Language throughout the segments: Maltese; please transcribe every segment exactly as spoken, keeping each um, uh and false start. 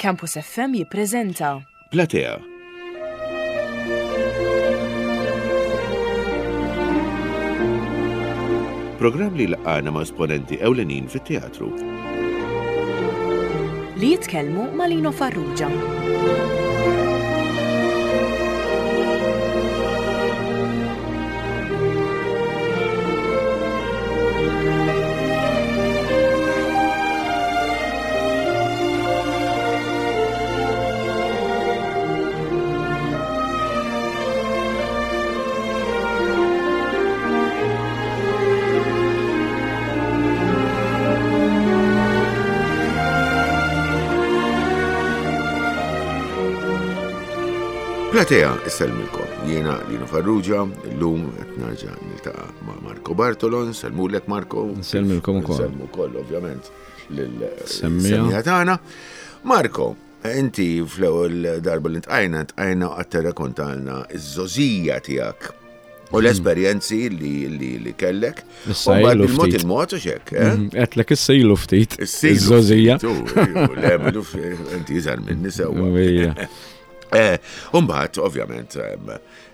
Campus F M jippreżenta Platea. Programm li laqana ma' esponenti ewlenin fit-teatru. Li jitkellmu ma' Lino Farrugia. Platea, issellmilkom. Jiena Lino Farrugia, illum qed nerġa' niltaqa' ma' Marco Bartolo, nsellmulek, Marco. Nsellmilkom ukoll. Nsellmu wkoll ovvjament lil Semmija. semmija tagħna. Marco, inti fl-ewwel darba li ntqajna, ntqajna qatt tirrakkontalna iż-żgħożija tiegħek u l-esperjenzi li, li, li kellek. Issa U mbagħad ilu bil-mod ftit. il-mod u xek, eh? Għedtlek issa ilu ftit. Issilu Iż-żgħożija. ftit, u, u, Le, milu f- inti iżgħar minni sewwa. Ija. Eh, Umbagħad, ovvjament, em,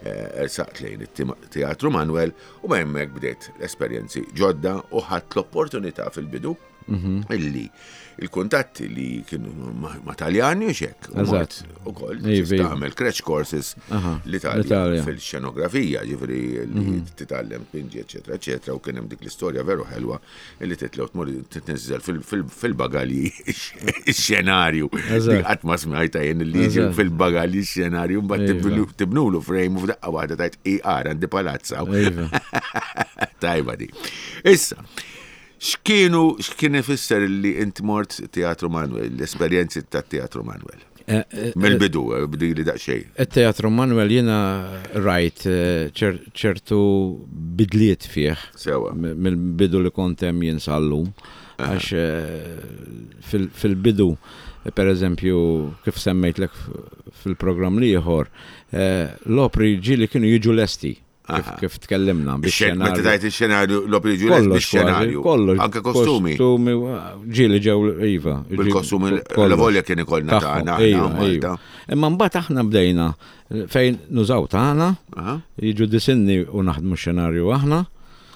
eh, saqt lejn it-Teatru Manuel u ma hemmhekk bdiet l-esperjenzi ġodda u ħadt l-opportunità fil-bidu Mhm. illi il-kuntatti li kienu ma' ma' Taljani u xek. U Eżatt. mort ukoll Iva, iva. tagħmel crash courses Aha, l-Italja l-Italja. fil-xenografija, ġifieri li titgħallem pinġi, eċetera, eċetera, u kien hemm dik l-istorja veru ħelwa illi titlew tmur titniżżel fil- fil- fil-bagalji ix-xenarju. Eżatt. Dik qatt ma smajta jien li jiġi Eżatt. fil-bagalji x-xenarju mbagħad Iva. tibnu- tibnulu frame u f'daqqa waħda tajt I R għandi palazza. Iva. Tajba di. Issa, x'kienu x'kien ifisser li inti mort Teatru Manuel, l-esperjenzi ta' Teatru Manuel? Eh, eh, Mill-bidu, eh, bdi li daqsxejn. Il-Teatru Manuel jiena rajt eh, ċer- ċertu bidliet fih. Sewa. M- Mill-bidu li kont hemm jien sal-lum. Għax eh, fil- fil-bidu, eh, per eżempju, kif semmejtlek f- fil-programm l-ieħor, eh, l-opri ġieli kienu jiġu lesti. Kif, Aha. kif tkellimna. Ix-xen- Meta bix-xenarju. tajt ix-xenarju, l-opri ġu Kollox, bix-xenarju. kważi, kollox. Anke kostumi. Kostumi, ġieli ġew, iva. Bil-kostumi, kollox. la volja kien ikollna Tagħhom, tagħna aħna iva, Malta. iva. Imma mbagħad aħna bdejna fejn nużaw tagħna, Aha. jiġu disinni u naħdmu x-xenarju aħna.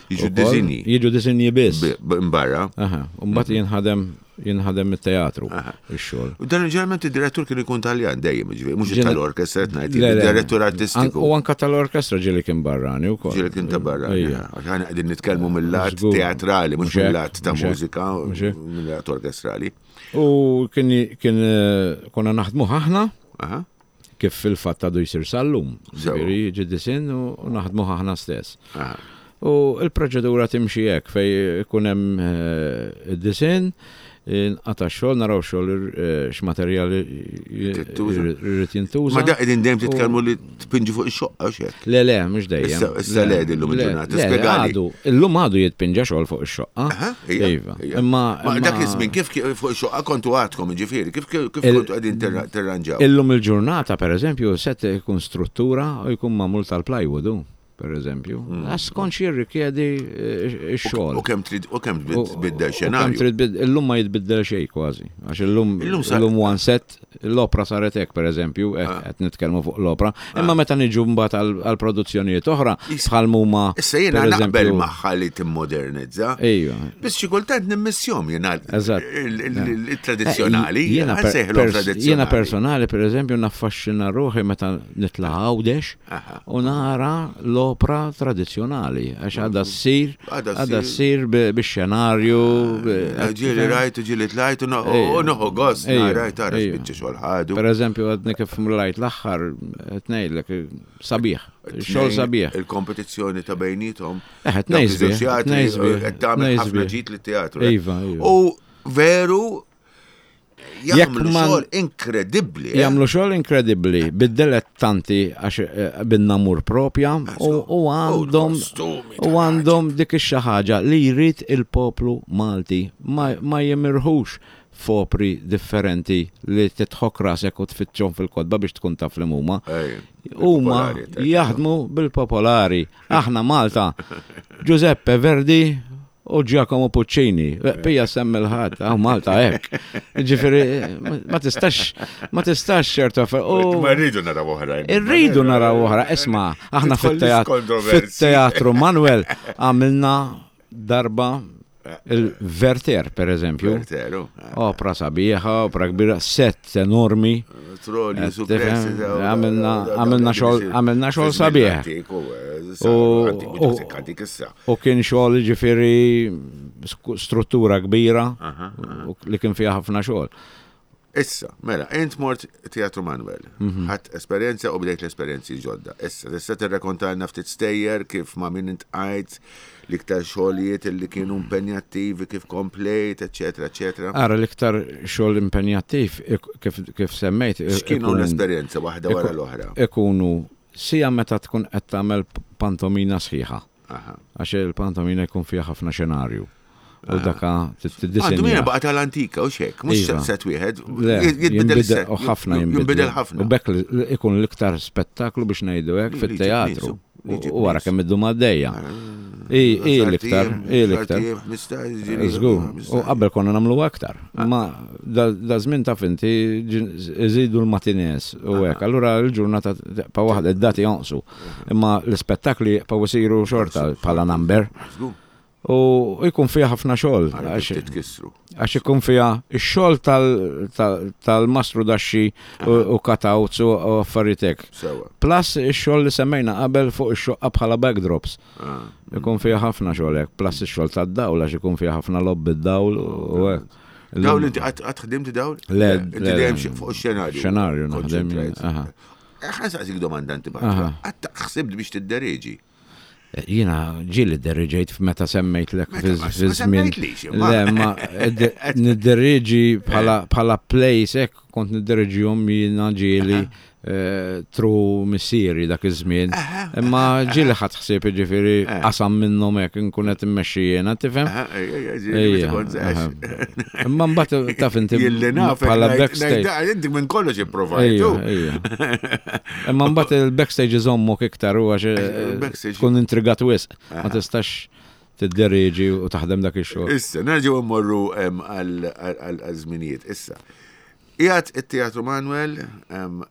Jiġu ukoll. disinji. Jiġu disinji biss. B- b- Mbarra. Aha, u mbagħad jinħadem jinħadem it-teatru ix-xogħol. U dan ġeneralment id-direttur kien ikun Taljan dejjem, ġifieri, mhux Ġene- tal-orkestra qed ngħid, Le, le. id-direttur An- artistiku. U anka tal-orkestra ġieli kien barrani wkoll. Ġieli kien ta' barra. Ija. Għax aħna qegħdin nitkellmu mill-lat Żgur. teatrali, mhux Mhux hekk, mill-lat ta' mhux hekk, mużika, mhux hekk. mill-lat orkestrali. U kien kien eh, konna naħdmu aħna Aha. kif fil-fatt għadu jsir sal-lum. Sewa. Ġifieri jiġi disin u u naħdmu aħna stess. Aha. U il-proċedura timxi hekk fej ikun hemm eh, id-disin, nqata' xogħol, naraw xogħol eh, x'materjal Tintuża. irid jintuża. Ma da qegħdin dejjem titkellmu li tpinġi fuq ix-xoqqa x'hekk. Le, le, mhux dejjem. Issa- issa le illum il-ġurnata, le, spjegali. Għadu, illum għadu jitpinġa xogħol fuq ix-xoqqa. Aha, ija, Iva. ija. Imma Ma imma dak iż-żmien kif kif fuq ix-xoqqa kontu għadkom, ġifieri, kif kif kif Il- kontu qegħdin tirra- tirranġaw? Illum il-ġurnata, per eżempju, set ikun struttura u jkun magħmul tal-plywood, hu, per eżempju. Għax skont xi jirrikjedi eh, ix-xogħol. U kemm trid u kemm U- tbiddel u kemm xenarju. trid bid- Illum ma jitbiddel xejn kważi. Għax illum Illum sar- illum one set, l-opra saret hekk pereżempju, qed Ah. qed nitkellmu fuq l-opra. Imma meta niġu mbagħad għal- għal produzzjonijiet oħra Is- bħal huma Issa jiena per naqbel eżempju- magħha li timmodernizza. Ejja. Biss xi kultant nimmissjom jiena Eżatt. il-tradizzjonali, Eh, Jiena per- nsejħilhom pers- tradizzjonali. Jiena personali, per eżempju, naffaxxina ruħi meta nitla' Għawdex Aha. u nara l-opra tradizzjonali, għax għadha ssir, Għadha għadha ssir. ssir bi- bix-xenarju. bi- Ġieli rajtu, ġieli tlajtu, no- Ejja. u noħu gost, Ejja, rajt tara ejja. spiċċa xogħol ħadu. Per eżempju, għadni kif mlajt l-aħħar, ngħidlek, sabiħ, xogħol Tnejn, sabiħ. Il-kompetizzjoni ta' bejnietom. Eh, Dawk tnejn sbieħ, iż-żewġ teatri, tnejn sbieħ, qed tagħmel tnejn ħafna sbieħ. ġid lit-teatru. Iva, iva. U veru Jekk jagħmlu ma- xogħol inkredibbli. eh? Jagħmlu xogħol inkredibbli, bid-dilettanti għax eh, bin-namur propja u u għandhom l-kostumi u għandhom dik ix-xi ħaġa li jrid il-poplu Malti ma, ma jimirħux f'opri differenti li titħok rasek u tfittxhom fil-kotba biex tkun taf li huma. Ej, Huma il-popolari, tajt. jaħdmu bil-popolari. Aħna Malta, Giuseppe Verdi U Giacomo Puccini, pija semmi l-ħadd, għaw Malta hekk. Ġifieri, ma tistax, ma tistax ċertu affarijiet. Ma rridu naraw oħrajn. Irridu naraw oħra, isma, aħna Tidħol fit-teatru kontroversi. fit-teatru Manuel għamilna darba il-Werther, per eżempju. Wertheru. Opra sabiħa, opra kbira, set enormi. Trolli, Eh, suppressi. tifhem, għamilna- għamilna xogħol- għamilna xogħol sabiħ. U- u- U kien xogħol ġifieri sku- struttura kbira u li kien fiha ħafna xogħol. Issa, mela, int mort Teatru Manuel, Mhm. ħadd esperjenza u bdejt l-esperjenzi ġodda. Issa, tista' tirrakontalna ftit stejjer kif ma' min intqajt, l-iktar xogħlijiet li kienu impenjattivi, kif komplejt, eċetera, eċetera. Ara l-iktar xogħol impenjattiv ik- kif, kif semmejt. X'kienu ikun- l-esperjenza waħda wara iku- l-oħra? Ikunu sija meta tkun qed tagħmel pantomina sħiħa. Aha. Għax il-pantomina jkun fiha ħafna xenarju. U daka Pantomina tiddisinja. baqa tal-antika u xek, mhux Iva. set wieħed, Le, jitbidel jinbidel, u ħafna jinbidel ħafna. U bekk li- ikun l-iktar spettaklu biex ngħidu hekk Li- li fit-teatru. ġib nisu, li ġib U wara nisu. kemm iddu għaddejja. I i l-iktar, i l-iktar. Żgur, u qabel konna nagħmlu aktar. Ma da da żmien taf inti ġin- iżidu l-matines u hekk. Allura l-ġurnata pa waħda id-dati jonqsu. Imma l-ispettakli pa isiru xorta bħala number. Żgur, U jkun fiha ħafna xogħol. għara għax- titkissru. Għax ikun fiha ix-xogħol tal- tal- tal-mastru daxxi u u cutouts u u affarijiet hekk. Sewa. Plus ix-xogħol li semmejna qabel fuq ix-xoqqa bħala backdrops. Ah. Ikun fiha ħafna xogħol hekk, plus ix-xogħol tad-dawl għax ikun fiha ħafna lobby d-dawl u hekk. Dawl inti qatt ħdimt dawl? Le, Inti le, dejjem le. xi- fuq ix-xenarju. Xenarju naħdem jien, Konċentrajt. aha. Eh, Ħa nsaqsik domanda inti Aha. Qatt ħsibt biex tiddereġi. Jiena ġieli dderriġejt meta semmejtlek Meta ma- ma fi żmien. semmejtlix, imma. Le, ma nidderriġi bħala bħala plays hekk kont nidderriġihom jiena ġieli eh, tru missieri dak iż-żmien. Imma ġieli ħadd ħsieb jiġifieri Eh. qasam minnhom hekk inkun qed immexxi jiena, tifhem? Aha, ej, ej, ej, ġieli Ejja, meta kont żgħax. aha. Imma mbagħad taf inti Jilli naf, bħala backstage. Inti minn kollox ipprovajtu. Ejja, ejja. Imma mbagħad il-backstage iżommok iktar u għax eh, Il-backstage. tkun intrigat wisq. Ma tistax tidderieġi u taħdem dak ix-xogħol. Issa, nerġgħu mmorru em, għal għal- għal żminijiet. Issa, qiegħed it-Teatru Manuel, em,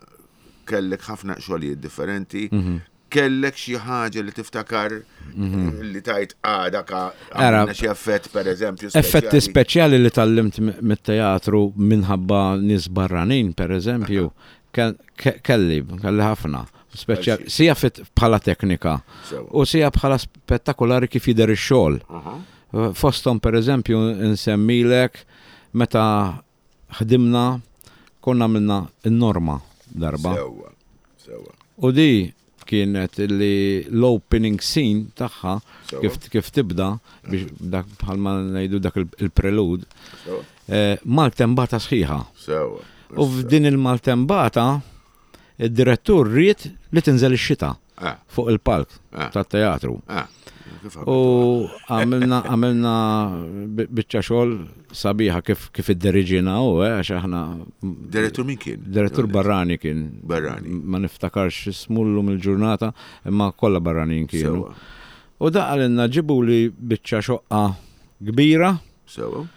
kellek ħafna xogħlijiet differenti, Mhm. kellek xi ħaġa li tiftakar li tajt għada ka Ara, għamilna xi effett per eżempju. Effetti speċjali li tallimt m- mit-teatru minħabba nies barranin, per eżempju, ke- ke- kelli, kelli ħafna. Speċjali, sija fit bħala teknika Sewa. u sija bħala spettakolari kif jidher ix-xogħol. Aha. Fostom per eżempju nsemmilek meta ħdimna konna minna n-norma darba. Sewa. Sewa. U di kienet li l-opening scene tagħha Sewa. kif, kif tibda biex dak bħalma ngħidu dak il- il-prelude Sewa. eh, maltembata sħiħa. Sewa. U f'din il-maltembata id-direttur ried li tinżel ix-xita Ah, fuq il-palk Ah. tat-teatru. ah. Kif U għamilna għamilna bi- biċċa xogħol sabiħa kif kif idderiġina u eh, għax aħna Direttur min kien? direttur barrani kien. Barrani. Ma niftakarx ismu llum il-ġurnata, imma kollha barranin kienu. Sewa. U da għalinna ġibu li biċċa xoqqa kbira Sewa.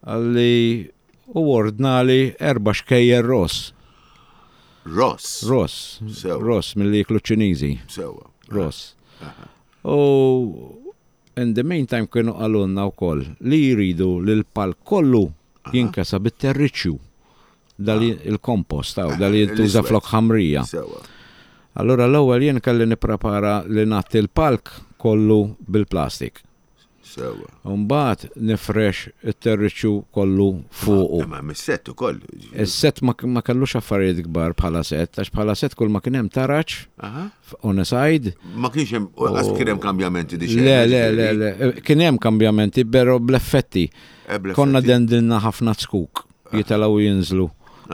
għalli u ordnali erba xkejjer ross. Ross. Ross. Sewa. Ross mill-li jiklu ċiniżi. Sewa. Ross. U in the meantime kienu għalunna u koll li jridu li l-palk kollu jinkesa bit-terriċju dal il-kompost taw, dal jintuża L-iswed. flok ħamrija. Sewa. Allora l-ewwel jien kelli nipprepara li nagħti l-palk kollu bil-plastik. Sewa. Mbagħad nifrex it-terriċju kollu fuqu. Imma mis-set ukoll. Is-set ma, ma kellux affarijiet kbar bħala set, għax bħala set kull ma kien hemm taraġ Aha. on a side. Ma kienx hemm qas kien hemm kambjamenti di Le, le, le, le, kien hemm kambjamenti, però bl-effetti. Eh, Konna dendilna ħafna zkuk, jitilgħu jinżlu.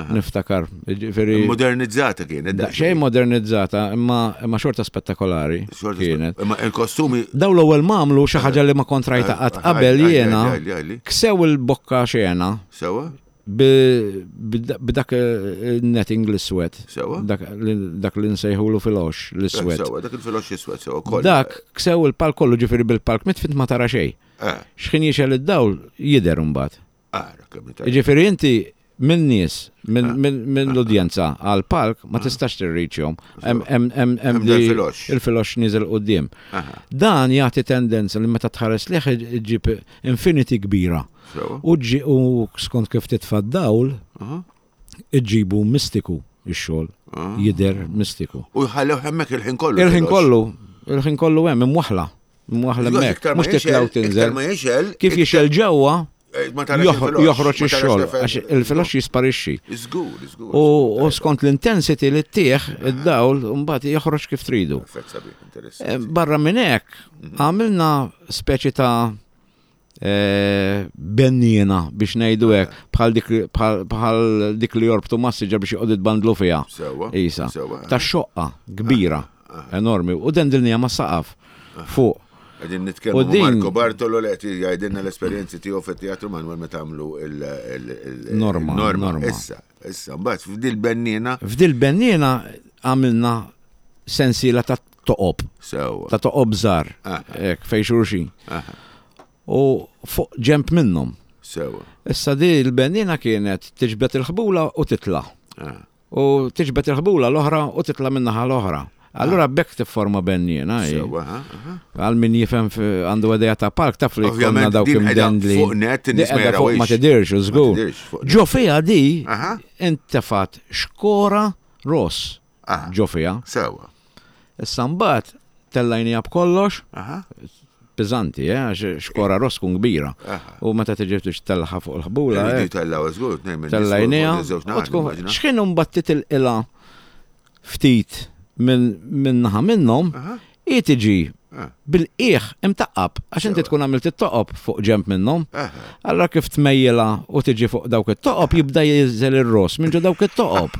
Niftakar. Ġifieri Modernizzata kienet. xejn modernizzata, imma imma xorta spettakolari Xorta kienet. Imma il-kostumi Daw l-ewwel mamlu xi ħaġa li ma kontrajta qatt qabel Għajli, jiena għajli, għajli. ksew il-bokka xena Sewa? B'dak il-netting l-iswed. Sewa. Dak li nsejħulu fil-ox l-iswed. Sewa, dak il-filox iswed, sewa, kollu. Dak ksew il-palk kollu ġifieri bil-palk mitfit ma tara xejn. Eh, X'ħin jixgħel id-dawl jidher imbagħad. Ara kemm tajba. Ġifieri inti minn nies, minn minn l-udjenza għal palk ma tistax tirriċjhom. Hemm hemm hemm Hemm di- dal-filox. il-filox niżel quddiem. Aha, Dan jagħti tendenza li meta tħares lejh iġib infinity kbira. sewa. U ġi u skont kif titfa' d-dawl Aha, iġibu mistiku ix-xogħol, aha. jidher mistiku. U jħallew hemmhekk il-ħin kollu. Il-ħin filox. kollu, il-ħin kollu hemm imwaħla, imwaħla Żgur, hemmhekk, iktar ma mhux titla' u jixgħel, iktar tinżel. ma jixgħel. Kif jixgħel ġewwa eh, ma tarax joħro- il-filox, joħroġ ma tarax ix-xogħol, l-effett. għax il-filox jisparixxi. Żgur, żgur. U żgur, u tajba. skont l-intensity li ttieħ id-dawl mbagħad joħroġ kif tridu. Effett sabiħ, Eh, interessanti. Barra minn hekk għamilna speċi ta' eh, benniena biex ngħidu hekk bħal dik bħal- bħal dik li jorbtu massiġa biex joqgħod bandlu fiha. Sewa. Isa. Sewa. Ta' xoqqa kbira, enormi, u dendilnija ma' saqaf fuq. Għedin U nitkellmu ma' din- Marco Bartolo li qed jgħidilna l-esperjenzi tiegħu fit-teatru Manuel meta għamlu il- il- il- Norma, norma. norma. Issa, issa, mbagħad f'dil bennina F'dil benniena għamilna sensiela ta' toqob, sewa. ta' toqob żgħar, Aha. hekk fej xulxin. Aha, U fuq ġemp minnhom. Sewa. Issa di l-bennina kienet tiġbed il-ħbula u titla'. Ah, U tiġbed il-ħbula l-oħra u titla' minnaħa l-oħra. Allura bekk tifforma benniena. hi. Sewa, aha, aha. Għal min jifhem fi- għandu għedeja ta' park taf li jkollna Ovvjament dawk din qiegħda imdendli. fuq net, in-nies Di ma qiegħda fuq ma jarawhiex. tidirx, u Ma żgur. tidirx fuq net. Ġo fiha di Aha. intefat xkora ross Aha. ġo fiha. Sewa. Issa mbagħad tellajnija b'kollox, Aha. piżanti, eh, għax xkora ross tkun kbira. Aha. U meta tiġi tix tellħa fuq il-ħbula, Iridu eh, jtellaw żgur, tnejn minn nies tellajnija. fuq żewġ U naħat, tkun immaġina. x'ħin mbagħad titilqilha ftit minn minn naħa minnhom, Aha. hi tiġi Ah. bil-qiegħ imtaqqab għax inti Sewa. tkun għamilt it-toqob fuq ġemp minnhom. Aha. Allora kif tmejjela u tiġi fuq dawk it-toqob jibda jinżel ir-ross minn ġo dawk it-toqob.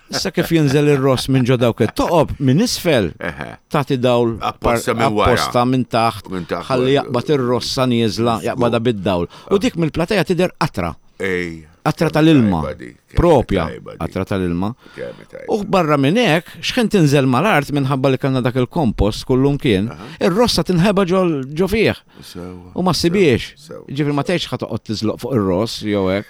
Issa kif jinżel ir-ross minn ġo dawk it-toqob minn isfel Eħe. tagħti dawl Apposta minn wara. apposta minn taħt Minn taħt. ħalli jaqbad ir-rossa nieżla jaqbadha bid-dawl. U dik mill-plateja tidher qatra, Ej. qatra tal-ilma. Tajba di, kemm Propja tajba di. qatra tal-ilma. Kemm tajba. U barra minn hekk, x'ħin tinżel mal-art minħabba li kellna dak il-kompost kullum kien, ir-rossa tinħeba ġo ġo fih Sewa. u ma ssibiex. Sewa. Ġifieri ma tgħidx ħa toqgħod tiżloq fuq ir-ross jew hekk.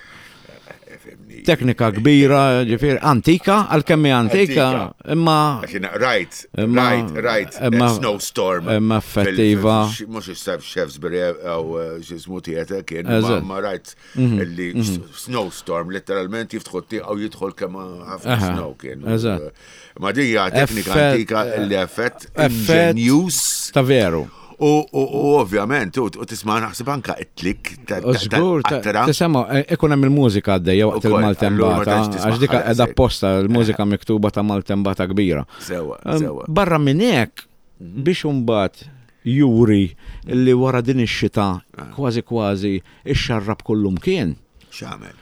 Fimni. Teknika kbira, ġifieri antika, għalkemm hi antika, Antika. imma Għax jiena rajt, Imma- rajt, rajt, imma- snowstorm. imma effettiva. Mux issa Shaftesbury għaw xismu theatre kien, ma Eżatt. ma rajt Mhm, li snowstorm, letteralment jiftħu t-tieqa u jidħol kemm ħafna Aha, snow kien. eżatt. Ma din hija teknika Effett- antika li effett effett- inġenjus. ta' veru. U u- u ovvjament, u u tisma' naħseb anka it-tlik ta' U żgur, ta- qatra. tisimgħu, e- ikun hemm il-mużika għaddejja waqt Ukoll, allura ma il-Maltembata, tantx tisma' għax dika ħares qiegħda hekk. apposta l-mużika miktuba ta' Maltembata kbira. Sewa, Em, sewa. Barra minn hekk biex imbagħad juri li wara din ix-xita kważi kważi ixxarrab kullum kien. X'għamel?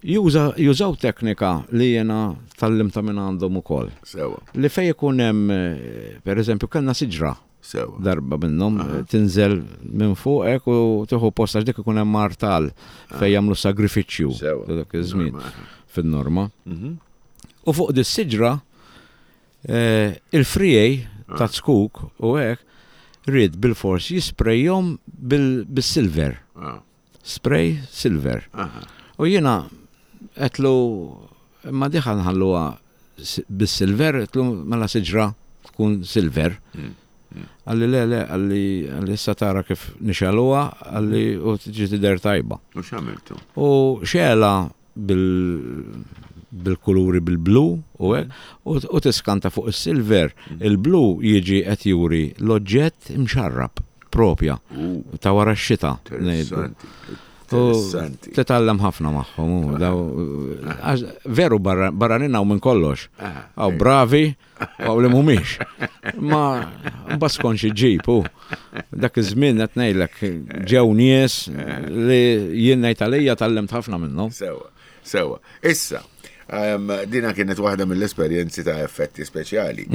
Juża jużaw teknika li jena tallimta minn għandhom ukoll. Sewa, Li fej ikun hemm eh, per eżempju kellna siġra sewa. darba minnhom eh, tinżel minn fuqek u tieħu post għax dik ikun hemm martal fejn jagħmlu sagrifiċċju Sewa. ta' dak iż-żmien Norma. fin-norma. Mhm. U fuq dis siġra eh, il-frijej ta' tskuk u hekk ried bil-fors jisprejhom bil- bil-silver, Ah, spray silver. aha. U jiena qedlu ma diħa nħalluha s- bis-silver, qedlu mela siġra tkun silver. Mm. Għalli le, le, għalli għalli issa tara kif nixaluha, għalli u tiġi tidher tajba. U x'għamiltu? U xela bil bil-kuluri bil-blu u hekk, u u tiskanta fuq is-silver, il-blu jiġi qed juri l-oġġett imxarrab propja U, ta' wara x-xita. ngħidu. interessanti. U Interessanti. Titgħallem ħafna magħhom. u daw- għax Veru barra- barranin hawn minn kollox. Aha, Għaw bravi, għaw li mhumiex. Ma mbagħad skont xi ġib u dak iż-żmien qed ngħidlek ġew nies li jien ngħid għalija tgħallimt ħafna minnhom. Sewa, sewa. Issa, Em, Dina kienet waħda mill-esperjenzi ta' effetti speċjali.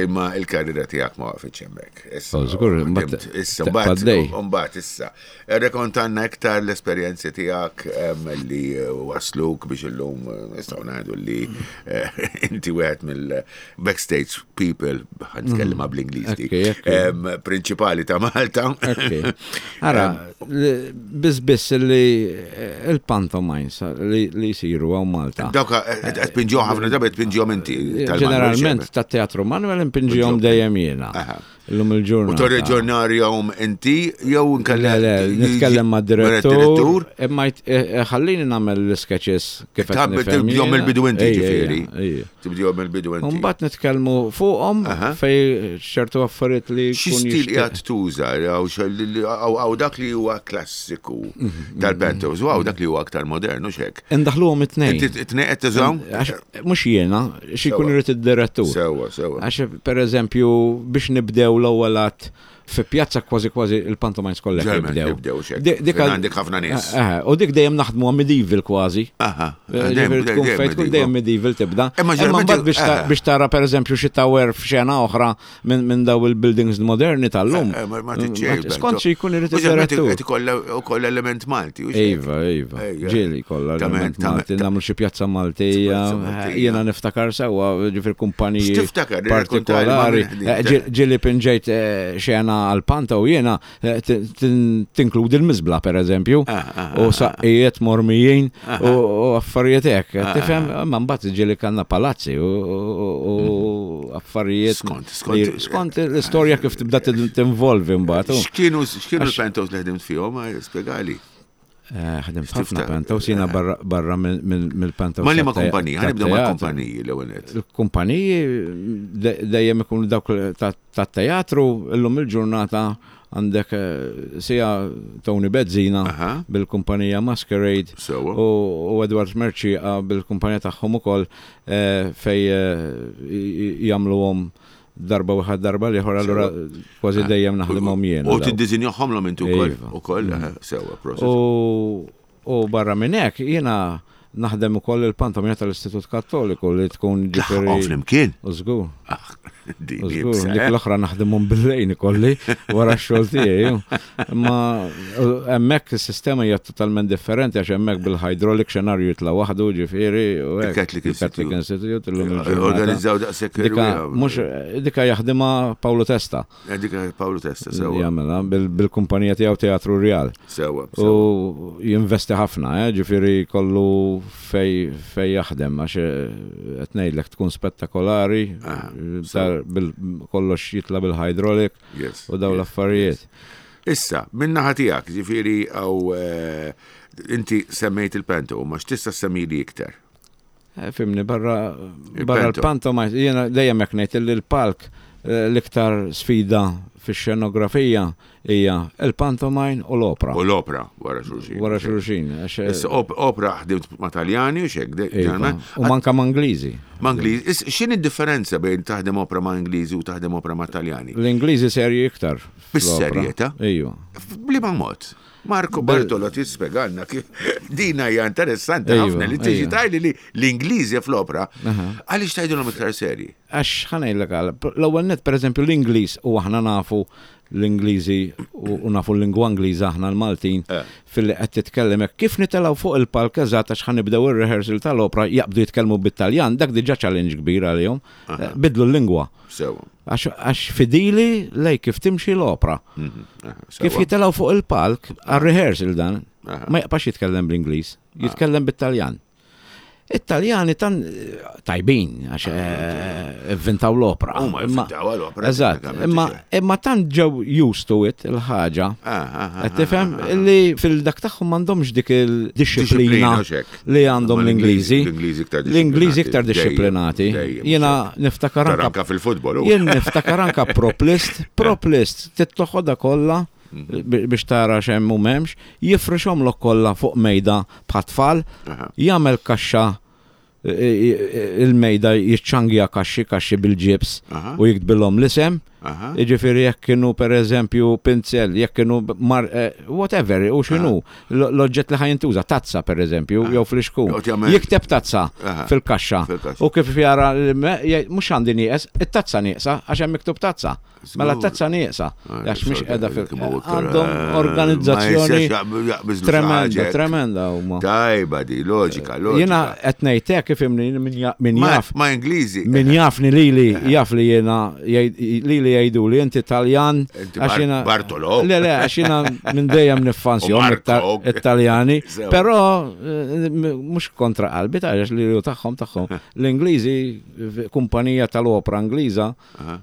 Imma il-karriera tiegħek ma waqfitx hemmhekk. Issa, Mhm. Oh, żgur, ħdimt, mbagħad Issa, tibqa' mbagħad, għaddej. mbagħad issa. Irrekontanna iktar l-esperjenzi tiegħek em, li eh, wasluk biex illum eh, nistgħu ngħidu li eh, inti wieħed mill-backstage people, ħa nitkellem bl-Ingliż dik, Okej, okej. em, prinċipali ta' Malta. Ok. Ara, li- biss biss li eh, il-pantomimes li li jisiru hawn Malta. Dawk qed tpinġihom ħafna drabi qed tpinġihom inti. tal-Manuel Ġeneralment Xeber. ta' teatru Manuel impinġihom dejjem jiena. Aha. Illum U il-ġurnata. torreġjonarjahom inti jew Le, le, nitkellem ma' direttur, imma jt- eh, eh, ħallini nagħmel l-sketches kif qed Ta' nifhem tibdihom jiena. mill-bidu inti Ejja, ġifieri. ejja, ejja. Tibdihom mill-bidu inti. Mbagħad nitkellmu fuqhom Aha. fej ċertu affarijiet li Xi jkun stil jixtieq. qiegħed tuża jew xi- għaw dak li huwa klassiku Mhm, tal-pantos u għaw dak li huwa aktar modern u xek. Indaħluhom it-tnejn. Inti t-tnejn qed tużahom? Għax mhux jiena, xi jkun Sewwa. irid id-direttur. Sewwa, sewwa. Għax per eżempju biex nibdew l-ewwel att fi pjazza kważi kważi il-pantomimes kollha Ġermen jibdew. jibdew xek. Di- dik Fejn għandek ħafna nies. Eh, eh, U dik dejjem naħdmu medieval kważi. Aha. Eh, Ġifieri tkun fejn tkun dejjem medieval tibda. Imma Imma ġeneralment- mbagħad biex ta- eh. biex tara per eżempju xi tower f'xena oħra minn minn daw il-buildings moderni tal-lum. Eh, Ma ma tiċċej. Skont xi jkun irid id-direttur. Qed ikollha ukoll element Malti. u xek. Iva, iva. Ejja. Ġieli kollha Tament, element Malti, tament. nagħmlu xi pjazza Maltija, Pjazza Maltija. jiena niftakar sewwa ġifier kumpaniji X'tiftakar? Irrakkontali, ma partikolari. minn- Eh, ġi- Ġieli pinġejt eh, xena għal-panta u jiena eh, tin- tin- tinkludi l-miżbla per eżempju. Ah, ah, U saqqijiet mormijin u u affarijiet hekk. Tifhem, ma mbagħad ġieli kellna palazzi u- u u affarijiet. Skont, skont. li- Skont l-istorja kif tibda tin- tinvolvi mbagħad. u- X'kienu x'kienu l-pantos li ħdimt fihom? Eh, Spjegali. Eh, Ħdimt ħafna X'tiftakar? pantos, jiena barra barra mill- mill- mill-pantos. Ma li ma tat- kumpaniji, ħanibdew ma tat-teatru. kumpaniji l-ewwel nett. Il-kumpaniji de- dejjem ikunu dawk tat-teatru, illum il-ġurnata għandek eh, sija Tony Bezzina Aha. bil-kumpanija Masquerade Sewwa. u u Edward Merċieqa bil-kumpanija tagħhom ukoll eh, fej eh, j- jagħmluhom darba wieħed darba l-ieħor allura kważi dejjem naħdimhom jiena. U dawk. tiddiżinjahomlhom inti wkoll. Iva. Ukoll, eh, sewwa, proset. U, u barra minn hekk jiena naħdem ukoll il-pantomina tal-Istitut Kattoliku li tkun Tlaħħaqhom ġifieri. flimkien. U żgur, Ah, Din u żgur, iebsa, dik eh? l-oħra naħdimhom bil-lejn ikolli wara x-xogħol tiegħi. Imma u hemmhekk is-sistema hija totalment differenti għax hemmhekk bil-hydraulic xenarju jitla' waħdu ġifieri u hekk. Il-Catholic Il-Catholic Institute illum il-ġurnata. Organizzaw daqshekk Dika irwieħa. mhux dika jaħdimha Paolo Testa. Eh, Dika Paolo Testa, sewwa. Jagħmilha bil- bil-kumpanija tiegħu Teatru Real. Sewwa. sewwa. U jinvesti ħafna, eh, ġifiri kollu fej, fej jaħdem, għax eh, qed ngħidlek tkun spettakolari, Ah, tar- bil, kollox jitla bil-hydraulic Yes. u daw yes. l-affarijiet. Issa, minna tiegħek, ġifieri għaw eh, inti semmejt il-panto, ma x'tista' semmili iktar. Eh, Fimni, barra, barra Il-panto. l-panto, ma jiena dejjem hekk ngħid li l-palk eh, l-iktar sfida fix-xenografija hija il-pantomime u l-opra. U l-opra wara xulxin. Wara xulxin. għax, eh, Issa op- opra ħdimt ma' Taljani u xek, de- iva, ġeneralment. U manka ma' Ingliżi. Ma' Ingliż. Is- X'inhi d-differenza bejn taħdem opra ma' Ingliżi u taħdem opra ma' Taljani? L-Ingliżi serji iktar. fl-opra. Bis-serjetà? Ejju. Bliema mod. Marco Bartolo tispjegalna kif dina hija interessanti Ejwa, ħafna li tiġi ejwa. tajli li l-Ingliżi fl-opra għaliex tgħidulhom iktar serji. Għax ħa ngħidlek għal, l-ewwel net pereżempju l-Ingliż u aħna nafu l-Ingliżi u u nafu l-lingwa Ingliża aħna l-Maltin Eh. fil-li qed titkellem hekk kif nitelgħu fuq il-palk eżatt għax ħanibdew ir-rehearsal tal-opra jaqbdu jitkellmu bit-Taljan, dak diġà challenge kbir għalihom. Eh, Bidlu l-lingwa. Sewa. Għax għax fidili lej kif timxi l-opra. Mhm, aha, Kif sewa. jitelgħu fuq il-palk għar-rehearsal dan, Aha. ma jaqbax jitkellem bl-Ingliż, jitkellem bit-Taljan. It-Taljani tan tajbin, għax eh, inventaw l-opra. Huma Imma- inventaw l-opra, Eżatt, teknikament, imma ġe. imma tant ġew used to it il-ħaġa. Ah, ah, ah, Qed tifhem ah, ah. li fil-dak tagħhom m'għandhomx dik il-disciplina Disciplina, xek. li għandhom Ma l-Ingliżi. L-Ingliżi iktar L-Ingliżi iktar disciplinati. disciplinati. Dejjem, dejjem, Jiena niftakar Tara anka anka fil-futbol. u. Jien niftakar anka prop list, prop list, tittoħodha kollha Mhm. biex tara x'hemm u m'hemmx, jifrixhomlok kollha fuq mejda bħat-tfal, Aha. jagħmel kaxxa e, e, il-mejda jiċċangja kaxxi kaxxi bil-ġibs Aha. u jiktbilhom l-isem, Jiġifieri jekk kienu pereżempju pinzell, jekk kienu mar, eh, whatever, u x'inhu, l- l-oġġett li ħa jintuża, tazza pereżempju, jew flixkun. Joqgħod jagħmel- Jikteb tazza Aha. fil-kaxxa. Fil-kaxxa. U kif jara, l- jgħid, mhux għandi nieqes, it-tazza nieqsa, għax hemm miktub tazza. Mela Żgur. t-tazza nieqsa, għax mhix qiegħda fil- Għandhom Għandhom organizzazzjoni tremenda, tremenda huma. Tajba di, loġika, loġika. Jiena qed ngħid hekk ifhimni min ja- min Ma- jaf Ma Ingliżi. min jafni lili jaf li jiena jgħid- lili jgħidu li inti Taljan Inti għax Bar- jiena- Bartolo. Le le għax jiena minn dejjem niffansjom U Marco. it-Taljani, Sewa. però eh, m- mhux kontra qalbi ta' għax li tagħhom tagħhom. L-Ingliżi kumpanija tal-opra Ingliża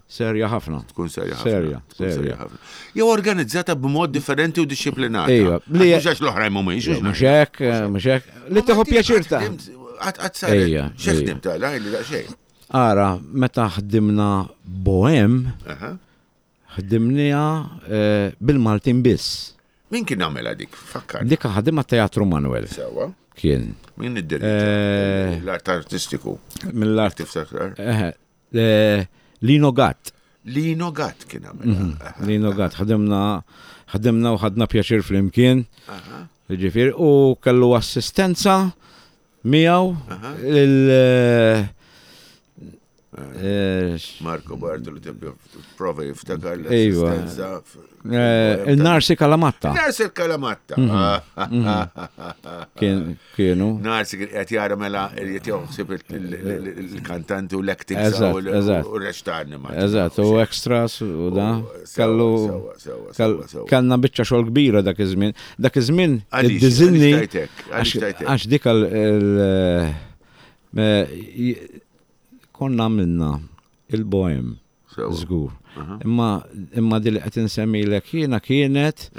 serja ħafna. Tkun serja ħafna. Serja, tkun serja. ħafna. Jew organizzata b'mod differenti u disciplinata. Ejwa, Li li- mhux għax l-oħrajn mhumiex. Mhux hekk, eh, mhux hekk. Li tieħu pjaċir ta' Għad saret. Ejja, X'ħdim ta' li daqsxejn. Ara, meta ħdimna Bohem, Aha. ħdimniha eh, bil-Maltin biss. Min kien għamela dik? Fakkar. Dik ħadimha Teatru Manuel Sewa. kien. Min Eh, id-direttur? L-art artistiku. Mill-art. Tiftakar? Eh, eh, Lino Gatt. Lino Gatt kien għamela. Aha. Lino Gatt. Ħadimna ħadimna u ħadna pjaċir flimkien. Ġifieri, u kellu assistenza miegħu il eh, eh, Marco Bartolo tibbi prova jiftakar Ejwa. l-assistenza. eh, il-Narsi Kalamatta Narsi Kalamatta. kien- kienu. Narsi kien qed jara mela qed joħsib il-kantanti u l-acting Eżatt, u eżatt. r-rextarni ma. Eżatt, u extras u da. Kellu Sewa, sewa, kell- sewa, sewa. kellna biċċa xogħol kbira dak iż-żmien. Dak iż-żmien Għaliex, id-diżinni għaliex tajtek, għaliex għax tajtek. għax dik il- il- eh, j- konna għamilna il-bohem Sewa. żgur. Imma imma di li qed insemmilek jiena kienet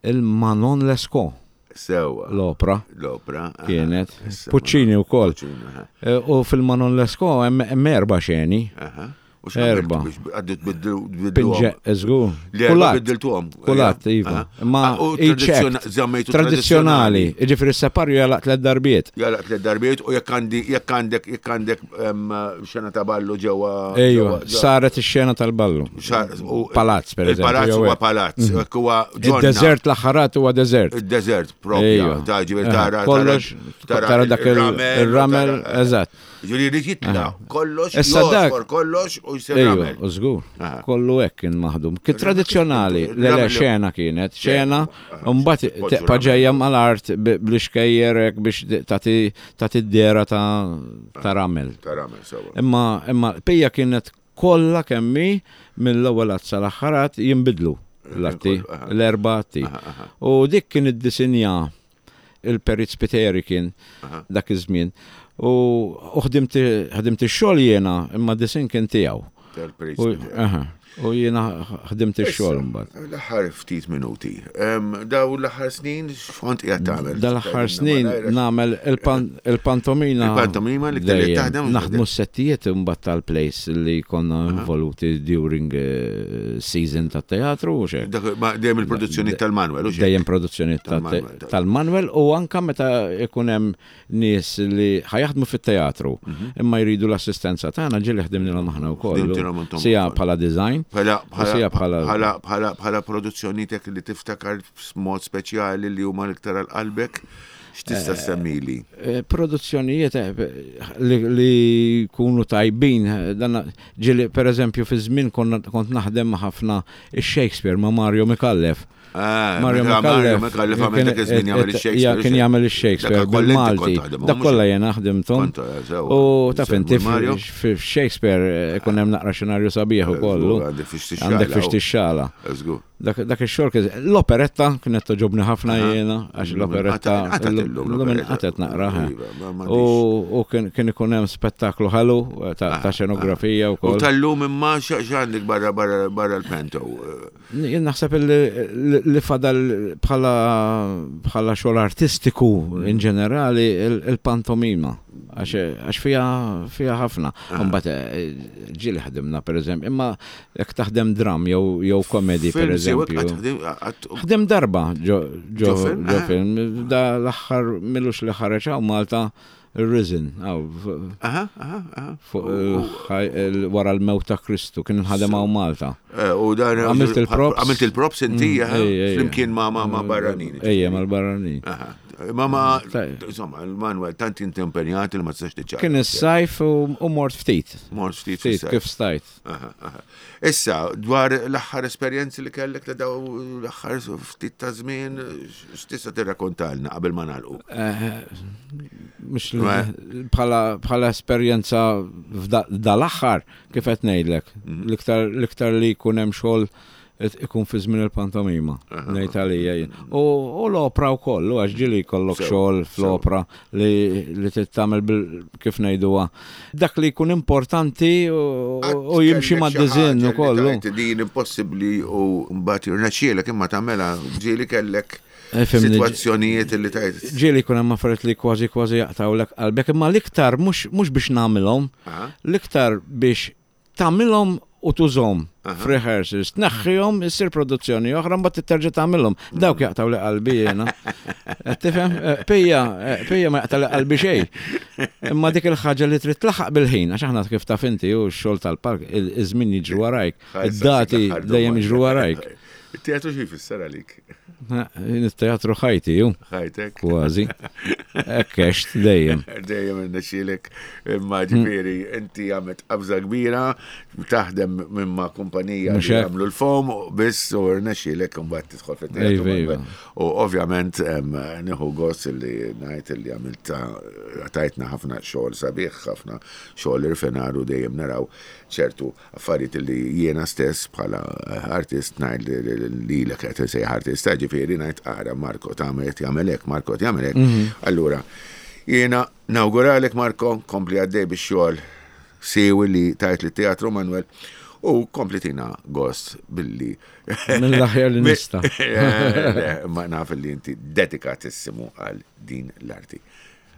il-Manon Lescaut Sewa. l-opra L-opra. aha. kienet. Issa, Puccini wkoll. Puccini, aha. Eh, U fil-Manon Lescaut hemm hemm erba' xeni. Aha. U x'għamilt Erba. biex għaddu tbiddlu- Pinġe, tbiddluhom? żgur. Li erba Kulat. biddiltuhom. Kulat, iva. Aha. Ma Ah, u i-checked. tradizzjona- żammejtu Tradizzjonali. Ġifieri s-separju jalaq tliet darbiet. Jala tliet darbiet u jekk għandi jekk għandek jekk għandek em, xena ta' ballu ġewwa Ejwa, ġewwa- saret ix-xena tal-ballu. xar- u- Palazz, per eżempju. Il-palazz jew huwa hekk. palazz, jekk huwa ġonna. Id-desert l-aħħarat huwa desert. Il-desert propja. Ejwa. Ta' ġifieri Aha, tara Kollox, tara dak il- il-ramel, eżatt. Ġifieri jrid jitla' kollox, Issa dak- josfor kollox u jsir Ejwa, ramel. u żgur. Aha. Kollu hekk kien maħdum. Kien tradizzjonali, le le Ramel- xena kienet, xena, Aha. u mbagħad Poġġu teqpa' ramel. ġejja mal-art b- bl-ixkejjer hekk biex tagħti tagħti d-dera ta' ta' ramel. Ta' ramel sewa. Imma imma pija kienet kollha kemmi mill-ewwel att sal-aħħar att jinbidlu l-atti, Kollu, aha. l-erba' atti. U dik kien iddisinja il-Perit Spiteri kien dak iż-żmien. U u ħdimt ħdimt ix-xogħol jiena, imma disin kien tiegħu. Tal-Perit U Spiteri. aha, u jiena ħdimt ix-xogħol mbagħad. L-aħħar ftit minuti. Em, Daw l-aħħar snin x'kont qiegħed tagħmel? Dal-aħħar snin nagħmel il-pan- il-pantomina. Il-pantomima li ktar li dejjem. taħdem. Naħdmu s-settijiet imbagħad tal-place li konna involuti during eh, season tat teatru u xek. Dak- ma Dejjem il-produzzjoni tal-Manuel, u xejn. Dejjem produzzjoni ta' Tal-Manuel, ta- tal-Manuel u anka meta ikun hemm nies li ħajaħdmu fit-teatru imma jridu l-assistenza tagħna ġieli ħdimnilhom aħna wkoll. Ħdimtilhom intom Sija ukoll. bħala design, Bħala u sija bħala bħala bħala bħala produzzjoni tek li tiftakar b'mod speċjali li huma l-iktar għal qalbek, x'tista' semmili? eh, produzzjonijiet eh, li, li jkunu tajbin, eh, dan ġieli per eżempju fi żmien konna- kont naħdem ma' ħafna ix-Shakespeare ma' Mario Micallef. Ah, Mario meta Mario Micallef Micallef għamel dak iż-żmien jagħmel ix-Shakespeare. Ja, kien jagħmel ix-Shakespeare Dak kollha inti kont bil-Malti. taħdem, Dak mhux- kollha jena ħdimthom. Kont, eh, sewa. U taf Semmu inti Mario. f'Shakespeare eh, ikun hemm naqra xenarju sabiħ ukoll. Għandek fiex tixxala. Għandek fiex tixxala. Żgur. Dak dak ix-xogħol kien l-operetta kienet toġobni ħafna jiena għax l-operetta Għatat illum l-lum l-operetta. inqatet naqra. eh. Iva, ma- ma U u kien kien ikun hemm spettaklu ħelu eh, ta' ta' xenografija U wkoll. tal-lum imma x'għandek barra barra barra l-pento. Jien naħseb li- li fadal bħala bħala xogħol artistiku in ġenerali il- il-pantomima għax għax fija fija ħafna. Mbagħad eh, ġieli ħdimna pereżempju, imma jekk taħdem dram jew jew komedi Film sewek pereżempju. għat- Ħdem darba ġo ġo Ġo film, ġo eh. film, da l-aħħar milux li ħareġ hawn Malta Il-Risen, għaw, f- Aha, aha, aha. fuq il-ħaj- il- wara l-mewt ta' Kristu, kien nħadem hawn Malta. Eh, U dan Għamilt il-props. Għamilt il-props inti, Mm, aha, ej, ej, flimkien ma' ma' ma' barranin. Ejja, mal-barranin. Aha. Ma ma, Tajjeb. insomma, Manuel, tant inti impenjat li ma tistax tiċċaqlaq. Kien is-sajf u u mort ftit. Mort ftit Ftit fis-sajf. kif stajt. Aha, aha. Issa, dwar l-aħħar esperjenzi li kellek ta' daw l-aħħar ftit ta' żmien, x'tista' tirrakkontalna qabel ma nagħlqu? Eh, Mux Ma- bħala bħala esperjenza dal-aħħar kif qed ngħidlek. Mhm. L-iktar l-iktar li jkun hemm xogħol qed ikun fi żmien il-pantomima, ngħid għalija jien. U u l-opra wkoll, u għax ġieli jkollok Sew, xogħol fl-opra li li trid tagħmel bil kif ngħiduha. Dak li jkun importanti u u jimxi mad-diżinn ukoll. u. Din impossibbli u mbagħad jirnexxielek imma tagħmilha ġieli kellek Eh, fimni, sitwazzjonijiet li tajt. Ġieli jkun hemm affarijiet li kważi kważi jaqtawlek qalbek, imma l-iktar mhux mhux biex nagħmilhom, Aha. l-iktar biex tagħmilhom u tużhom f'rehearsals, tneħħihom, issir produzzjoni oħra mbagħad terġa' tagħmilhom. Dawk jaqtaw li qalbi jiena. Qed Tifhem? Eh, Pija, eh, pija ma jaqtaw li qalbi xejn. Imma dik il-ħaġa li trid tlaħaq bil-ħin, għax aħna kif taf inti u x-xogħol tal-park, il- iż-żmien jiġru warajk, id-dati dejjem jiġru warajk. Il-teatru xi jfisser għalik? Il-teatru ħajti ju, Ħajtek. kważi. Ekkext dejjem. Dejjem irnexxielek imma ġifieri inti għamilt qabża kbira, taħdem minn ma' kumpanija Mhux li hekk. jagħmlu l-fom biss u rnexxielek imbagħad tidħol fit-teatru. Iva, iva. U ovvjament em, nieħu gost li ngħid li għamilt tajtna ħafna xogħol sabiħ, ħafna xogħol irfinar u dejjem naraw ċertu affarijiet li jiena stess bħala artist ngħid li- li lilek qed insejjaħ artista, ġifieri ngħid ara Marko tagħmel qed jagħmel hekk, Marko qed jagħmel hekk. Allura jiena nawguralek Marko, kompli għaddej bix-xogħol siewi li tajt li teatru Manuel u kompli tina gost billi Mill-aħjar li nista'. Le, Ma naf li inti dedikatissimu għal din l-arti.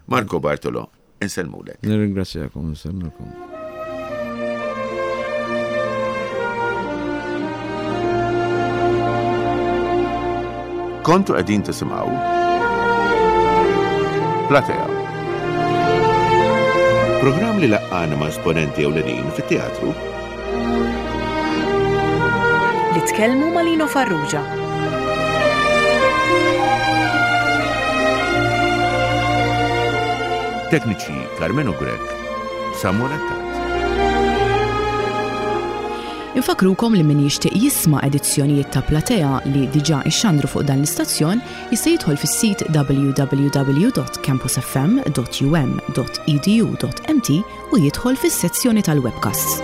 Marko Bartolo, insellmulek. Nirringrazzjakom, nsellmulkom. Kontu qegħdin tisimgħu Platea. Programm li laqqana ma' esponenti ewlenin fit-teatru Li tkellmu ma' Lino Farrugia. Tekniċi Carmenu Grek, Samuel Attard. Infakrukom li min jixtieq jisma' edizzjonijiet ta' Platea li diġà ixxandru fuq dan l-istazzjon jista' jidħol fis-sit w w w dot campusfm dot u m dot e d u dot m t u jidħol fis-sezzjoni tal-webcasts.